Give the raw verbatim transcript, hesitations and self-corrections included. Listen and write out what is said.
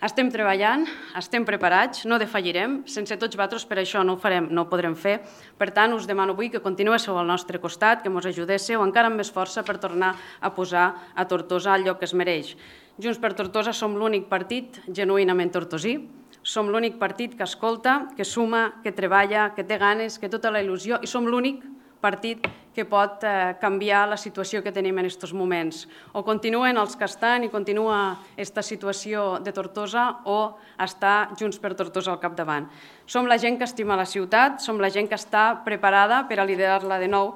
Estem treballant, estem preparats, no defallirem. Sense tots vosaltres per això no ho farem, no ho podrem fer. Per tant, us demano avui que continuéssiu al nostre costat, que ens ajudéssiu encara amb més força per tornar a posar a Tortosa al lloc que es mereix. Junts per Tortosa som l'únic partit genuïnament tortosí, som l'únic partit que escolta, que suma, que treballa, que té ganes, que tota la il·lusió, i som l'únic partit que pot canviar la situació que tenim en aquests moments. O continuen els que estan i continua aquesta situació de Tortosa o està Junts per Tortosa al capdavant. Som la gent que estima la ciutat, som la gent que està preparada per a liderar-la de nou